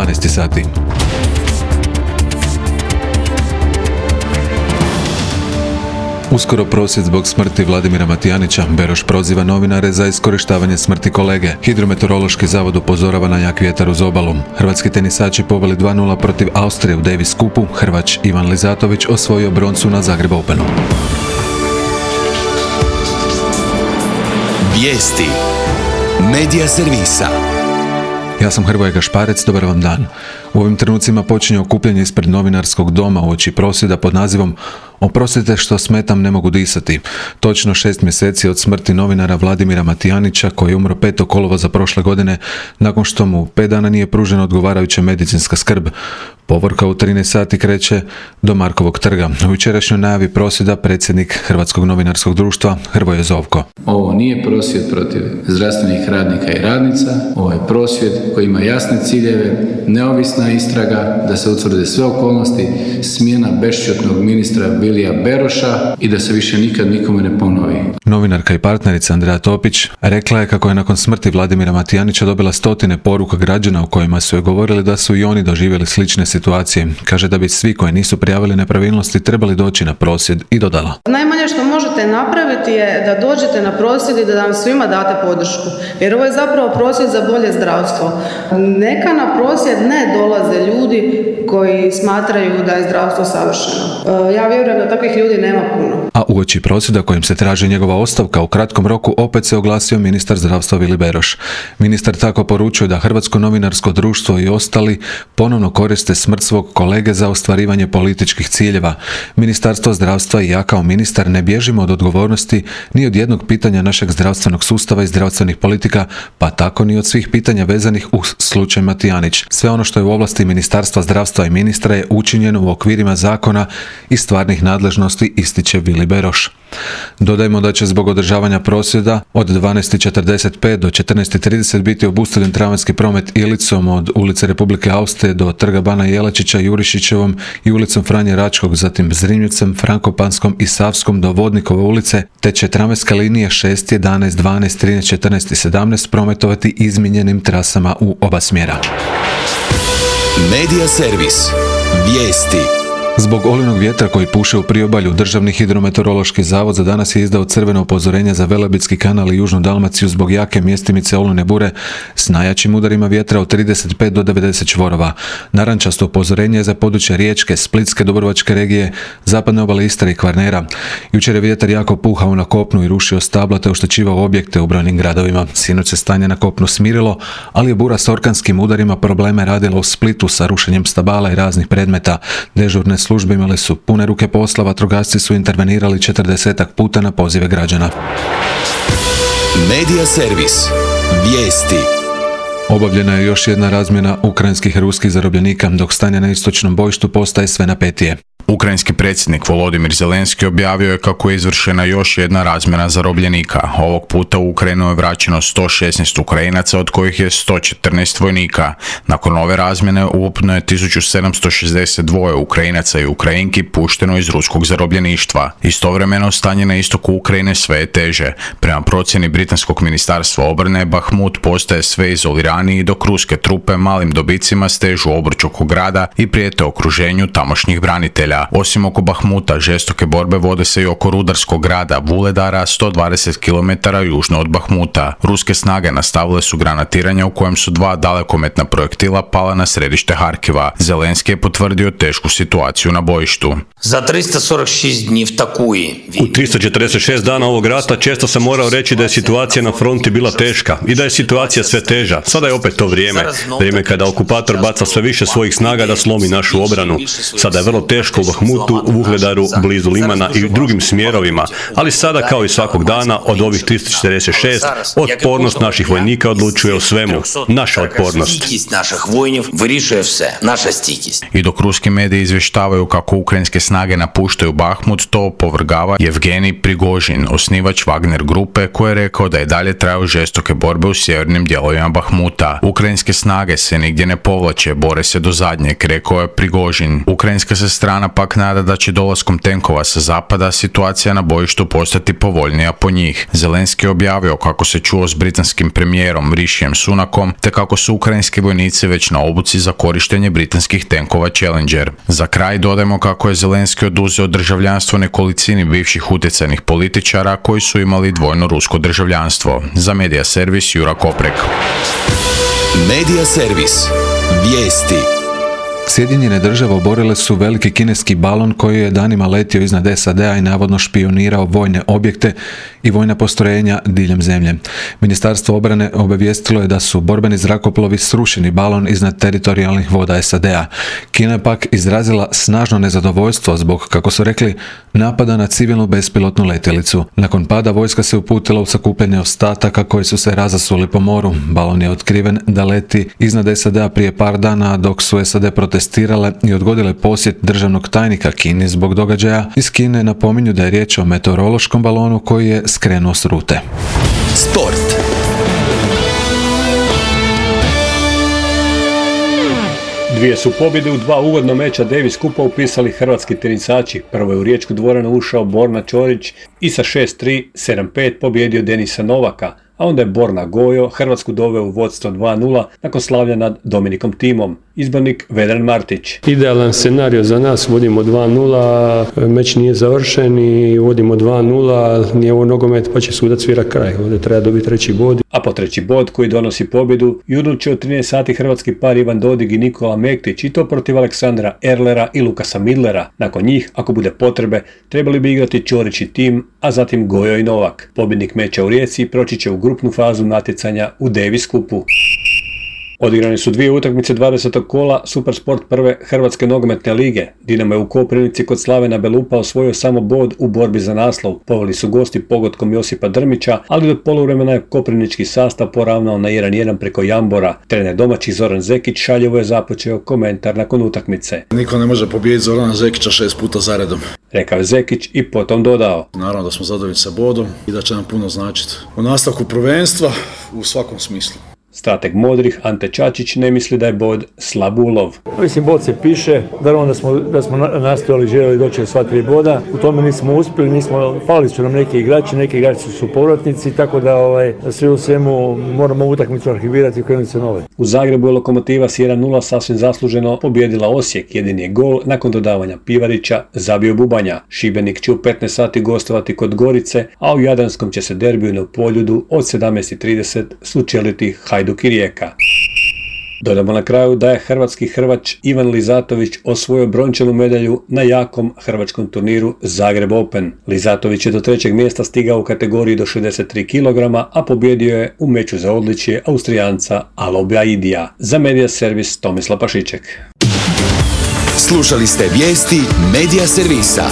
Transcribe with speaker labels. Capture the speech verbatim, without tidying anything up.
Speaker 1: dvanaest sati. Uskoro prosvjed zbog smrti Vladimira Matijanića. Beroš proziva novinare za iskorištavanje smrti kolege. Hidrometeorološki zavod upozorava na jak vjetar uz obalu. Hrvatski tenisači poveli dva nula protiv Austrije u Davis Cupu. Hrvač Ivan Lizatović osvojio broncu na Zagreb Openu.
Speaker 2: Vijesti Medija servisa.
Speaker 1: Ja sam Hrvoje Gašparec, dobar vam dan. U ovim trenucima počinje okupljanje ispred novinarskog doma uoči prosvjeda pod nazivom "Oprostite što smetam, ne mogu disati". Točno šest mjeseci od smrti novinara Vladimira Matijanića, koji je umro petog kolovoza prošle godine nakon što mu pet dana nije pružena odgovarajuća medicinska skrb. Povorka u trinaest sati kreće do Markovog trga. U jučerašnjoj najavi prosvjeda predsjednik Hrvatskog novinarskog društva Hrvoje Zovko.
Speaker 3: Ovo nije prosvjed protiv zdravstvenih radnika i radnica, ovo je prosvjed koji ima jasne ciljeve, neovisna istraga, da se utvrde sve okolnosti, smjena bešćutnog ministra Vilija Beroša i da se više nikad nikome ne ponovi.
Speaker 1: Novinarka i partnerica Andreja Topić rekla je kako je nakon smrti Vladimira Matijanića dobila stotine poruka građana u kojima su joj govorili da su i oni doživjeli slične situacije. Kaže da bi svi koji nisu prijavili nepravilnosti trebali doći na prosvjed i dodala:
Speaker 4: Najmanje što možete napraviti je da dođete na prosvjed i da nam svima date podršku. Jer ovo je zapravo prosvjed za bolje zdravstvo. Neka na prosvjed ne dolaze ljudi koji smatraju da je zdravstvo savršeno. Ja vjerujem da takvih ljudi nema puno.
Speaker 1: A uoči prosvjeda kojim se traži njegova ostavka u kratkom roku opet se oglasio ministar zdravstva Vili Beroš. Ministar tako poručuje da Hrvatsko novinarsko društvo i ostali ponovno koriste smrt svog kolege za ostvarivanje političkih ciljeva. Ministarstvo zdravstva i ja kao ministar ne bježimo od odgovornosti ni od jednog pitanja našeg zdravstvenog sustava i zdravstvenih politika, pa tako ni od svih pitanja vezanih uz slučaj Matijanić. Sve ono što je u ovlasti Ministarstva zdravstva i ministra je učinjeno u okvirima zakona i stvarnih nadležnosti, ističe Vili Beroš. Dodajmo da će zbog održavanja prosvjeda od dvanaest četrdeset pet do četrnaest trideset biti obustavljen tramvajski promet Ilicom od ulice Republike Austrije do trga Bana Jelačića, Jurišićevom i ulicom Franje Račkog, zatim Zrinjevcem, Frankopanskom i Savskom do Vodnikove ulice, te će tramvajska linija šest, jedanaest, dvanaest, trinaest, četrnaest i sedamnaest prometovati izmijenjenim trasama u oba smjera.
Speaker 2: Medija servis. Vijesti.
Speaker 1: Zbog olujnog vjetra koji puše u priobalju, Državni hidrometeorološki zavod za danas je izdao crveno upozorenje za Velebitski kanal i Južnu Dalmaciju zbog jake mjestimice olujne bure s najjačim udarima vjetra od trideset pet do devedeset čvorova. Narančasto upozorenje je za područje Riječke, Splitske, Dubrovačke regije, zapadne obale Istre i Kvarnera. Jučer je vjetar jako puhao na kopnu i rušio stabla te oštećivao objekte u brojnim gradovima. Sinoć se stanje na kopnu smirilo, ali je bura s orkanskim udarima probleme radila u Splitu sa rušenjem stabala i raznih predmeta. Dežurne službe imale su pune ruke posla, vatrogasci su intervenirali četrdesetak puta na pozive građana.
Speaker 2: Medija servis. Vijesti.
Speaker 1: Obavljena je još jedna razmjena ukrajinskih i ruskih zarobljenika, dok stanje na istočnom bojištu postaje sve napetije.
Speaker 5: Ukrajinski predsjednik Volodimir Zelenski objavio je kako je izvršena još jedna razmjena zarobljenika. Ovog puta u Ukrajinu je vraćeno sto šesnaest Ukrajinaca, od kojih je sto četrnaest vojnika. Nakon ove razmjene ukupno je tisuću sedamsto šezdeset dva Ukrajinaca i Ukrajinki pušteno iz ruskog zarobljeništva. Istovremeno stanje na istoku Ukrajine sve je teže. Prema procjeni britanskog ministarstva obrane, Bahmut postaje sve izoliraniji, dok ruske trupe malim dobicima stežu obruč oko grada i prijete okruženju tamošnjih branitelja. Osim oko Bahmuta, žestoke borbe vode se i oko rudarskog grada Vuledara, sto dvadeset kilometara južno od Bahmuta. Ruske snage nastavile su granatiranje u kojem su dva dalekometna projektila pala na središte Harkiva. Zelenski je potvrdio tešku situaciju na bojištu.
Speaker 6: Za tristo četrdeset šest dni v takui.
Speaker 7: U tristo četrdeset šest dana ovog rata često sam morao reći da je situacija na fronti bila teška i da je situacija sve teža. Sada je opet to vrijeme. Vrijeme kada okupator baca sve više svojih snaga da slomi našu obranu. Sada je vrlo teško u Bahmutu, u Vuhledaru, blizu Limana i drugim smjerovima, ali sada kao i svakog dana od ovih tristo četrdeset šest otpornost naših vojnika odlučuje o svemu. Naša otpornost.
Speaker 5: I dok ruski mediji izvještavaju kako ukrajinske snage napuštaju Bahmut, to opovrgava Jevgenij Prigožin, osnivač Wagner grupe, koji je rekao da je dalje traju žestoke borbe u sjevernim dijelovima Bahmuta. Ukrajinske snage se nigdje ne povlače, bore se do zadnjeg, rekao je Prigožin. Ukrajinska se strana pak nada da će dolaskom tenkova sa zapada situacija na bojištu postati povoljnija po njih. Zelenski je objavio kako se čuo s britanskim premijerom Rishijem Sunakom, te kako su ukrajinski vojnici već na obuci za korištenje britanskih tenkova Challenger. Za kraj dodajmo kako je Zelenski oduzeo državljanstvo nekolicini bivših utjecajnih političara koji su imali dvojno rusko državljanstvo. Za Medija servis Jura Koprek.
Speaker 2: Medija servis. Vijesti.
Speaker 1: Sjedinjene države oborile su veliki kineski balon koji je danima letio iznad S A D-a i navodno špionirao vojne objekte i vojna postrojenja diljem zemlje. Ministarstvo obrane obavijestilo je da su borbeni zrakoplovi srušeni balon iznad teritorijalnih voda S A D-a. Kina je pak izrazila snažno nezadovoljstvo zbog, kako su rekli, napada na civilnu bespilotnu letjelicu. Nakon pada vojska se uputila u sakupljanje ostataka koji su se razasuli po moru. Balon je otkriven da leti iznad S A D-a prije par dana dok su S A D protestirale i odgodile posjet državnog tajnika Kini zbog događaja. Iz Kine napominju da je riječ o meteorološkom balonu koji je skrenuo s rute.
Speaker 2: Sport.
Speaker 7: Dvije su pobjede u dva ugodna meča Davis Kupa upisali hrvatski tenisači. Prvo je u riječku dvoranu ušao Borna Ćorić i sa šest tri, sedam pet pobjedio Denisa Novaka, a onda je Borna Gojo Hrvatsku doveo u vodstvo dva nula nakon slavlja nad Dominikom Timom. Izbornik Vedran Martić.
Speaker 8: Idealan scenario za nas, vodimo dva nula, meč nije završen i vodimo dva nula, nije ovo nogomet pa će sudac svira kraj, ovdje treba dobiti treći bod.
Speaker 7: A po treći bod koji donosi pobjedu, jutro će od trinaest sati hrvatski par Ivan Dodig i Nikola Mektić i to protiv Aleksandra Erlera i Lukasa Midlera. Nakon njih, ako bude potrebe, trebali bi igrati Ćorić i Tim, a zatim Gojo i Novak. Pobjednik meča u Rijeci proći će u grupnu fazu natjecanja u Davis Kupu. Odigrane su dvije utakmice dvadesetog kola Supersport prve Hrvatske nogometne lige. Dinamo je u Koprivnici kod Slavena Belupa osvojio samo bod u borbi za naslov. Poveli su gosti pogodkom Josipa Drmića, ali do poluvremena je koprivnički sastav poravnao na jedan jedan preko Jambora. Trener domaći Zoran Zekić šaljivo je započeo komentar nakon utakmice.
Speaker 9: Niko ne može pobijediti Zorana Zekića šest puta zaredom,
Speaker 7: rekao je Zekić i potom dodao.
Speaker 9: Naravno da smo zadovoljni sa bodom i da će nam puno značiti u nastavku prvenstva u svakom smislu.
Speaker 7: Strateg Modrih Ante Čačić ne misli da je bod slab ulov.
Speaker 10: Mislim, bod se piše, naravno da smo, da smo nastojali, željeli doći do sva tri boda. U tome nismo uspjeli, nismo, falili su nam neki igrači, neki igrači su povratnici, tako da ovaj, sve u svemu moramo utakmicu arhivirati i krenuti se nove.
Speaker 7: U Zagrebu je Lokomotiva s jedan nula sasvim zasluženo pobjedila Osijek. Jedini je gol nakon dodavanja Pivarića zabio Bubanja. Šibenik će u petnaest sati gostovati kod Gorice, a u Jadranskom će se derbiju na Poljudu od sedamnaest trideset sučeliti Hajduk i Rijeka. Dodamo na kraju da je hrvatski hrvač Ivan Lizatović osvojio brončanu medalju na jakom hrvačkom turniru Zagreb Open. Lizatović je do trećeg mjesta stigao u kategoriji do šezdeset tri kilograma, a pobjedio je u meču za odličje Austrijanca Alobija Idija. Za Medija servis Tomislav Pašiček.
Speaker 2: Slušali ste vijesti Medija servisa.